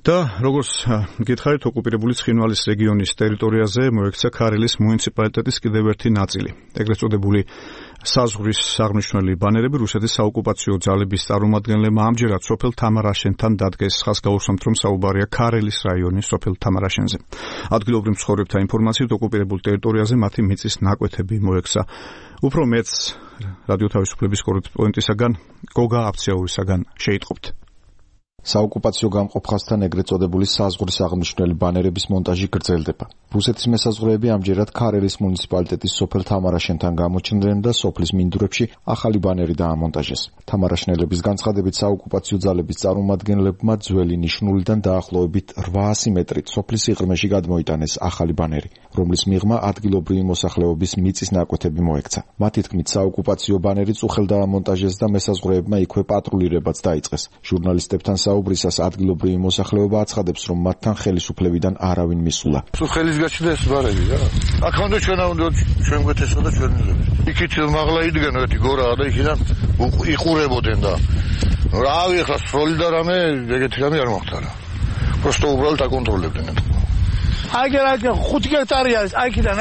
და როგორც გითხარით, ოკუპირებული ცხინვალის რეგიონის ტერიტორიაზე მოექცა ქარელის მუნიციპალიტეტის კიდევ ერთი ნაწილი. ეგრეთ წოდებული საზღვრის აღმნიშვნელი ბანერები რუსეთის საოკუპაციო ძალების წარმომადგენლებმა ამჯერად სოფელ თამარაშენთან დადგეს. ხაზს გაუსვამთ, რომ საუბარია ქარელის რაიონის სოფელ თამარაშენზე. ადგილობრივ მცხოვრებთა ინფორმაციით, ოკუპირებულ ტერიტორიაზე მათი მიწის ნაკვეთები მოექცა. უფრო მეც რადიო თავისუფლების კორესპონდენტისაგან გოგა აფციაურისაგან შეიტყობთ. საოკუპაციო გამყოფხასთან ეგრეთ წოდებული საზღვრის აღმნიშვნელი ბანერების მონტაჟი გრძელდება. რუსეთის მესაზღვრეები ამჯერად ქარელის მუნიციპალიტეტის სოფელ თამარაშენთან გამოჩნდნენ და სოფლის მინდვრებში ახალი ბანერი დაამონტაჟეს. თამარაშენელების განცხადებით, საოკუპაციო ძალების წარმომადგენლებმა ძველი ნიშნულიდან დაახლოებით 800 მეტრით სოფლის სიღრმეში გადმოიტანეს ახალი ბანერი, რომლის მიღმა ადგილობრივი მოსახლეობის მიწის ნაკვეთები მოექცა. მათი თქმით, საოკუპაციო ბანერი წუხელ დაამონტაჟეს და მესაზღვრეებმა იქვე პატრულირებაც დაიწყეს. ჟურნალისტებთან საუბრისას ადგილობრივი მოსახლეობა აცხადებს, რომ მათთან ხელისუფლებიდან არავინ მისულა. ხელის გაჩნდა ეს ბარები რა. აქამდე ჩვენ უნდა ჩვენ გვეთესა და ჩვენ იქით მაღლა იდგენ ერთი გორაა და იქიდან იყურებოდნენ და რავი ხა სროლი და რამე ეგეთი რამე არ მოხდა. просто უბრალოდ აკონტროლებდნენ. აი 5 ჰექტარი არის, აიქიდან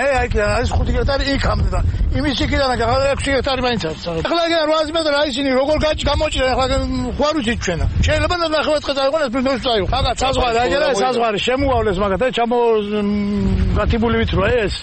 არის 5 ჰექტარი იქამდე და იმის იქიდან 6 ჰექტარი მაინც არის. ახლა 800 მეტრი აი ისინი როგორ გამოჭირენ, ახლა ხوار ვიცით ჩვენა. შეიძლება და 9 დღე დაიყვანეს პრინციპს წაიღო. ხაგა საზღვარი, აი საზღვარი შემოავლეს მაგათ, გათიბული ვით რა ეს.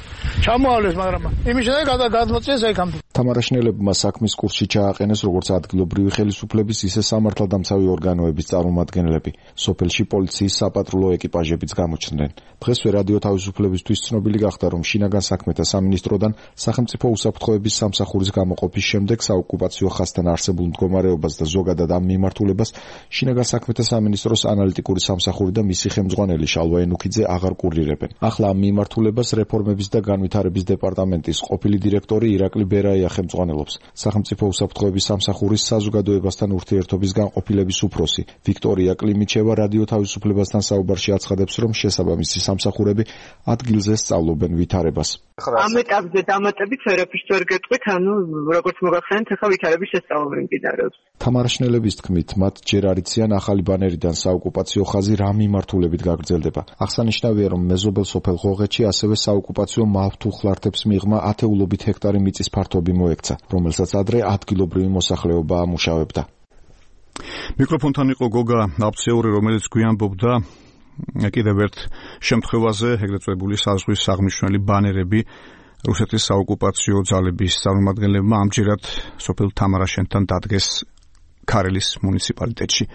ჩამოავლეს, მაგრამ იმის შემდეგ გადმოწეს აიქამდე. თამარაშენელებმა საქმის კურსში ჩააყენეს როგორც ადგილობრივი ხელისუფლების, ისე სამართალდამცავი ორგანოების წარმომადგენლები. სოფელში პოლიციის საპატრულო ეკიპაჟებიც გამოჩნდნენ. დღესვე რადიო თავისუფლებისთვის ცნობილი გახდა, რომ შინაგან საქმეთა სამინისტროდან სახელმწიფო უსაფრთხოების სამსახურის გამოყოფის შემდეგ საოკუპაციო ხაზთან არსებულ მდგომარეობას და ზოგადად ამ მიმართულებას შინაგან საქმეთა სამინისტროს ანალიტიკური სამსახური და მისი ხელმძღვანელი შალვა ენუქიძე აღარ კურირებენ. ახლა ამ მიმართულებას რეფორმების და განვითარების დეპარტამენტის ყოფილი დირექტორი ირაკლი ბერაია ხელმძღვანელობს. სახელმწიფო უსაფრთხოების სამსახურის საზოგადოებასთან ურთიერთობის განყოფილების უფროსი ვიქტორია კლიმიჩევა რადიო თავისუფლებასთან საუბარში აცხადებს, რომ შესაბამისი სამსახურები ადგილზე სწავლობენ ვითარებას. ამ ეტაპზე დამატებით ვერაფერს ვერ გეტყვით, როგორც მოგახსენეთ, ახლა ვითარების შესწავლები მიმდინარეობს. თამარაშენელების თქმით, მათ ჯერ არ იციან ახალი ბანერიდან საოკუპაციო ხაზი რა მიმართულებით გაგრძელდება. აღსანიშნავია, რომ მეზობელ სოფელ ღოღეთში ასევე საოკუპაციო მავთუხლართებს მიღმა ათეულობით ჰექტარი მიწის ფართობი მოექცა, რომელსაც ადრე ადგილობრივი მოსახლეობა ამუშავებდა. მიკროფონთან იყო გოგა აფციაური, რომელიც გვიანბობდა კიდევ ერთ შემთხვევაზე, ეგრეთ წოდებული საზღვრის აღმნიშვნელი ბანერები რუსეთის საოკუპაციო ძალების წარმომადგენლებმა ამჯერად სოფელ თამარაშენთან დადგეს ქარელის მუნიციპალიტეტში.